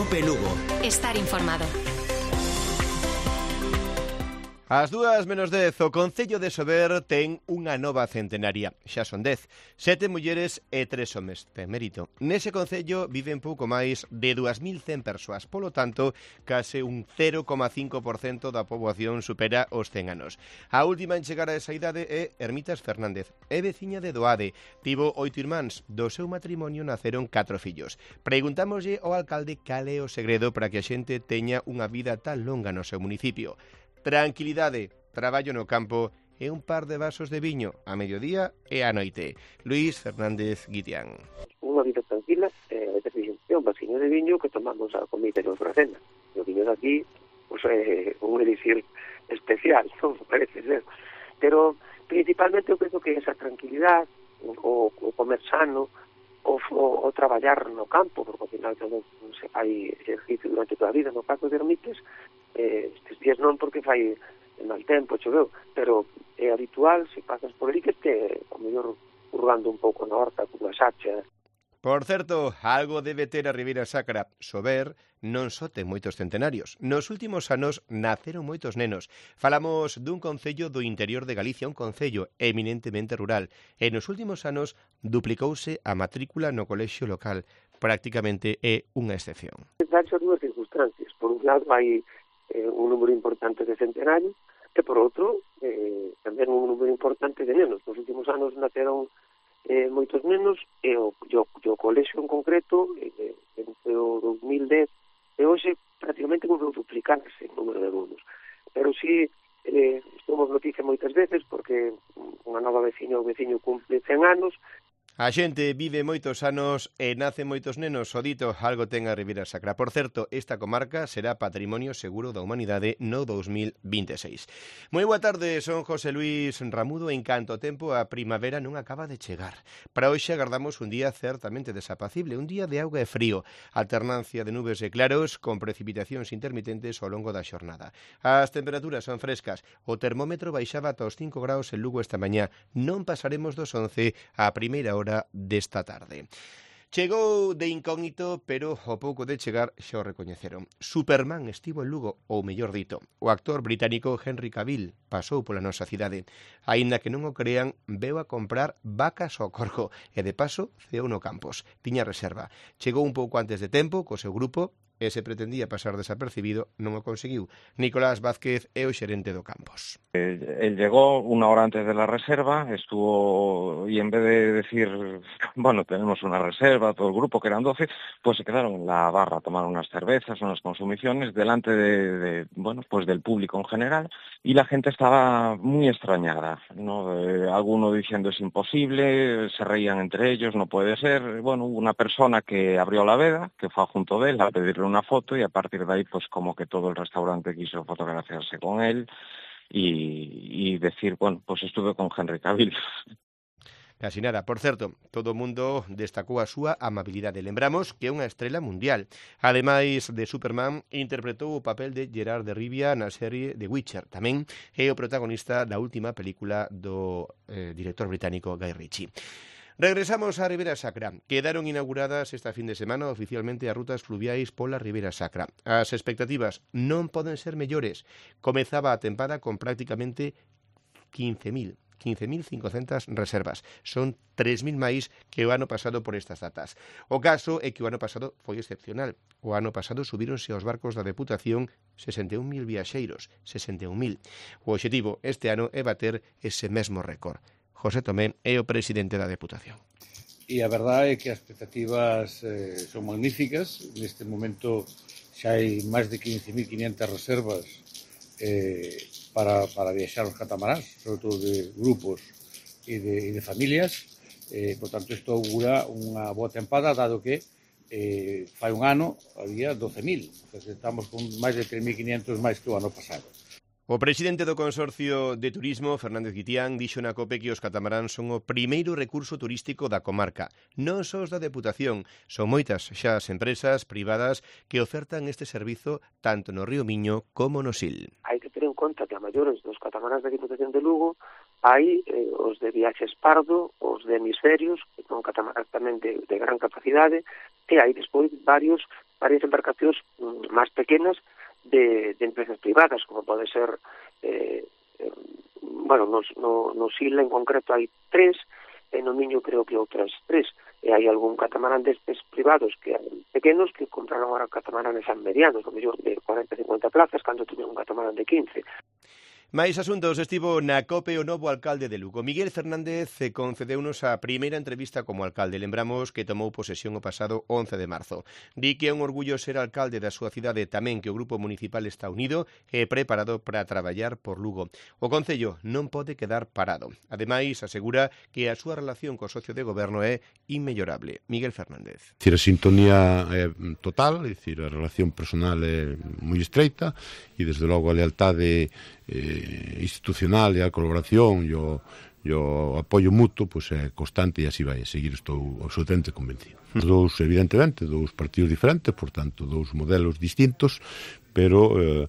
COPE Lugo. Estar informado. Ás 2:10, o Concello de Sober ten unha nova centenaria. Xa son 10, 7 mulleres e 3 homes. Ten mérito. Nese Concello viven pouco máis de 2.100 persoas. Polo tanto, case un 0,5% da poboación supera os 100 anos. A última en chegar a esa idade é Hermitas Fernández. É veciña de Doade. Tivo 8 irmáns. Do seu matrimonio naceron 4 fillos. Preguntámoslle ao alcalde cal é o segredo para que a xente teña unha vida tan longa no seu municipio. Tranquilidade, traballo no campo e un par de vasos de viño a mediodía e a noite. Luís Fernández Guitián. Unha vida tranquila, é un vasiño de viño que tomamos a comida e a cena. O viño de aquí, pues, é un elixir especial, non parece ser. Pero principalmente eu penso que esa tranquilidade, o comer sano, o traballar no campo, porque ao final tamén se fai exercicio durante toda a vida. No caso de Hermites, estes días non porque fai mal tempo, choveu, pero é habitual, se pasas por aí, que este, ao mellor, hurgando un pouco na horta, cunha sacha. Por certo, algo debe ter a Ribeira Sacra. Sober non só ten moitos centenarios. Nos últimos anos naceron moitos nenos. Falamos dun concello do interior de Galicia, un concello eminentemente rural. E nos últimos anos duplicouse a matrícula no colexio local. Prácticamente é unha excepción. Danse dúas circunstancias. Por un lado, hai un número importante de centenarios, e por outro, tamén un número importante de nenos. Nos últimos anos naceron moitos nenos, e o colexio en concreto, entre o 2010 e hoxe, prácticamente volveu duplicarse o número de alumnos. Pero si estamos noticia moitas veces, porque unha nova veciña ou veciño cumple 100 anos. A xente vive moitos anos e nace moitos nenos, o dito, algo ten a Ribeira Sacra. Por certo, esta comarca será Patrimonio Seguro da Humanidade no 2026. Moi boa tarde, son José Luis Ramudo. En canto tempo, a primavera non acaba de chegar. Para hoxe agardamos un día certamente desapacible, un día de auga e frío, alternancia de nubes e claros con precipitacións intermitentes ao longo da xornada. As temperaturas son frescas, o termómetro baixaba ata os 5 graus en Lugo esta mañá. Non pasaremos dos 11 á primeira hora desta tarde. Chegou de incógnito, pero ao pouco de chegar xa o recoñeceron. Superman estivo en Lugo, ou mellor dito, o actor británico Henry Cavill pasou pola nosa cidade. Aínda que non o crean, veu a comprar vacas ao Corco e de paso ceou no Campos. Tiña reserva. Chegou un pouco antes de tempo co seu grupo e se pretendía pasar desapercibido, non o conseguiu. Nicolás Vázquez é o xerente do Campos. Él llegó una hora antes de la reserva, estuvo, y en vez de decir, bueno, tenemos una reserva, todo el grupo, que eran 12, pues se quedaron en la barra a tomar unas cervezas, unas consumiciones, delante bueno, pues del público en general, y la gente estaba muy extrañada, ¿no? Alguno diciendo es imposible, se reían entre ellos, no puede ser. Bueno, hubo una persona que abrió la veda, que fue junto de él a pedirle una foto, y a partir de ahí, pues como que todo el restaurante quiso fotografiarse con él, y decir, bueno, pues estuve con Henry Cavill. Casi nada. Por certo, todo o mundo destacou a súa amabilidade. Lembramos que é unha estrela mundial. Ademais de Superman, interpretou o papel de Gerard de Rivia na serie The Witcher. Tamén é o protagonista da última película do director británico Guy Ritchie. Regresamos á Ribeira Sacra. Quedaron inauguradas esta fin de semana oficialmente as rutas fluviais pola Ribeira Sacra. As expectativas non poden ser mellores. Comezaba a tempada con prácticamente 15.500 reservas. Son 3.000 máis que o ano pasado por estas datas. O caso é que o ano pasado foi excepcional. O ano pasado subíronse aos barcos da Deputación 61.000 viaxeiros. 61.000. O obxectivo este ano é bater ese mesmo récord. José Tomé é o presidente da Deputación. E a verdade é que as expectativas son magníficas. Neste momento xa hai máis de 15.500 reservas para viaxar os catamaráns, sobre todo de grupos e de familias. Por tanto, isto augura unha boa tempada, dado que fai un ano había 12.000. Estamos con máis de 3.500 máis que o ano pasado. O presidente do Consorcio de Turismo, Fernández Guitián, dixo na COPE que os catamaráns son o primeiro recurso turístico da comarca. Non só os da Deputación, son moitas xa as empresas privadas que ofertan este servizo tanto no Río Miño como no Sil. Hai que ter en conta que a maiores dos catamaráns da Diputación de Lugo hai os de Viaxes Pardo, os de Hemisferios, que son catamaráns tamén de gran capacidade, e hai despois varios varias embarcacións máis pequenas de empresas privadas, como pode ser no Sila en concreto hai 3, e no Miño creo que outras 3, e hai algún catamarán destes privados que eran pequenos que compraron ahora catamaranes medianos, no mellor de 40-50 plazas, cando tiven un catamarán de 15. Máis asuntos. Estivo na COPE o novo alcalde de Lugo. Miguel Fernández concedeunos a primeira entrevista como alcalde. Lembramos que tomou posesión o pasado 11 de marzo. Di que é un orgullo ser alcalde da súa cidade, tamén que o grupo municipal está unido e preparado para traballar por Lugo. O Concello non pode quedar parado. Ademais, asegura que a súa relación co socio de goberno é inmellorable. Miguel Fernández. A sintonía é total, é dicir, a relación personal é moi estreita e desde logo a lealtade institucional e a colaboración e o apoio mutuo pois é constante e así vai a seguir, estou absolutamente convencido. Evidentemente, dous partidos diferentes, por tanto, dous modelos distintos, pero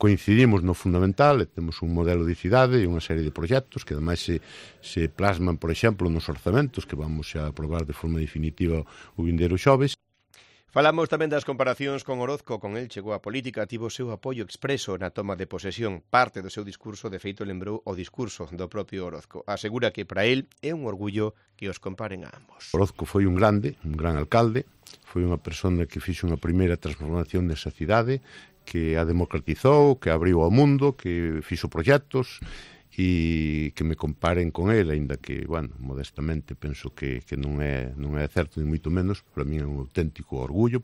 coincidimos no fundamental, temos un modelo de cidade e unha serie de proxectos que ademais se plasman, por exemplo, nos orzamentos que vamos a aprobar de forma definitiva o vindeiro xoves. Falamos tamén das comparacións con Orozco. Con el chegou a política, tivo o seu apoio expreso na toma de posesión. Parte do seu discurso, de feito, lembrou o discurso do propio Orozco. Asegura que para el é un orgullo que os comparen a ambos. Orozco foi un gran alcalde, foi unha persona que fixo unha primeira transformación desa cidade, que a democratizou, que abriu ao mundo, que fixo proxectos, e que me comparen con ele, aínda que, modestamente penso que non é certo, ni moito menos, para mí é un auténtico orgullo.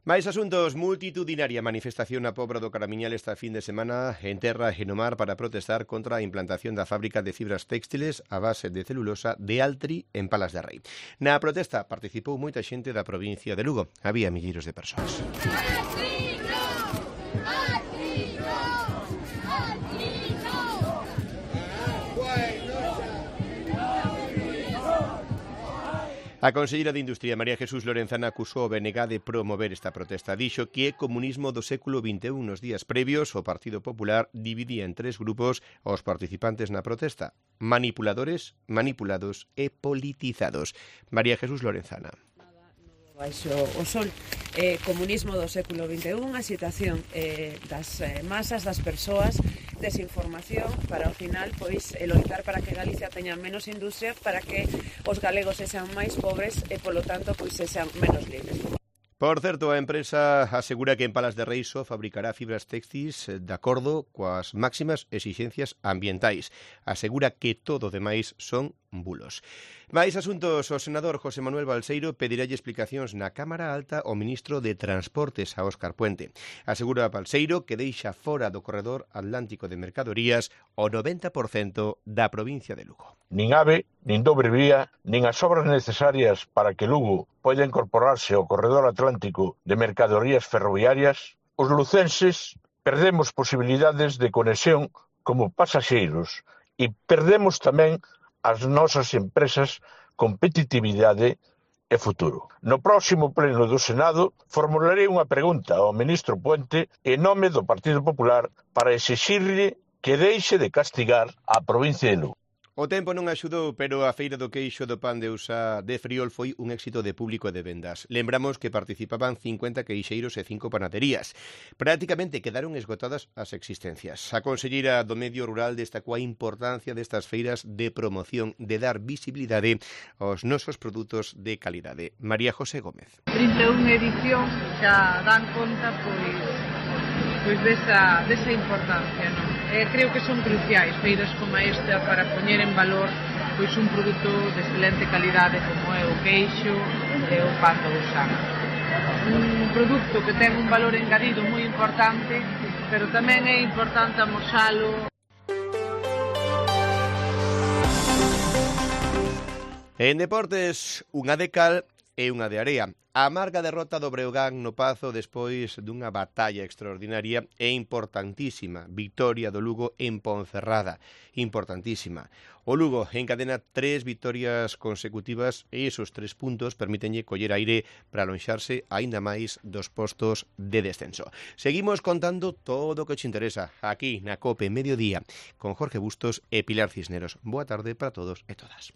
Mais asuntos. Multitudinaria manifestación na Pobra do Caramiñal esta fin de semana en terra e no mar para protestar contra a implantación da fábrica de fibras textiles a base de celulosa de Altri en Palas de Rei. Na protesta participou moita xente da provincia de Lugo. Había milleiros de persoas. A conselleira de Industria, María Jesús Lorenzana, acusou o BNG de promover esta protesta. Dixo que é comunismo do século XXI. Nos días previos, o Partido Popular dividía en 3 grupos aos participantes na protesta: manipuladores, manipulados e politizados. María Jesús Lorenzana. Baixo o sol, comunismo do século XXI, a situación das masas, das persoas, desinformación para ao final loitar para que Galicia teña menos industria, para que os galegos sexan máis pobres e polo tanto sexan menos libres. Por certo, a empresa asegura que en Palas de Rei só fabricará fibras textis de acordo coas máximas exixencias ambientais. Asegura que todo demais son bulos. Mais asuntos. O senador José Manuel Balseiro pedirálle explicacións na Cámara Alta ao ministro de Transportes, a Óscar Puente. Asegura Balseiro que deixa fora do corredor atlántico de mercadorías o 90% da provincia de Lugo. Nin AVE, nin dobre vía, nin as obras necesarias para que Lugo poida incorporarse ao corredor atlántico de mercadorías ferroviarias, os lucenses perdemos posibilidades de conexión como pasaxeiros e perdemos tamén as nosas empresas competitividade e futuro. No próximo pleno do Senado formularei unha pregunta ao ministro Puente en nome do Partido Popular para exixirlle que deixe de castigar a provincia de Lugo. O tempo non axudou, pero a Feira do Queixo do Pan de Usa de Friol foi un éxito de público e de vendas. Lembramos que participaban 50 queixeiros e 5 panaderías. Prácticamente quedaron esgotadas as existencias. A conselleira do Medio Rural destacou a importancia destas feiras de promoción, de dar visibilidade aos nosos produtos de calidade. María José Gómez. 31 edición xa dan conta desa importancia, non? Creo que son cruciais feiras como esta para poñer en valor un produto de excelente calidade como é o queixo e o pan do Usán. Un produto que ten un valor engadido moi importante, pero tamén é importante amosalo. En deportes, unha de cal e unha de area. A amarga derrota do Breogán no Pazo despois dunha batalla extraordinaria e importantísima victoria do Lugo en Ponferrada. Importantísima. O Lugo encadena 3 vitorias consecutivas e esos 3 puntos permítenlle coller aire para alonxarse aínda máis dos postos de descenso. Seguimos contando todo o que te interesa aquí na COPE Mediodía con Jorge Bustos e Pilar Cisneros. Boa tarde para todos e todas.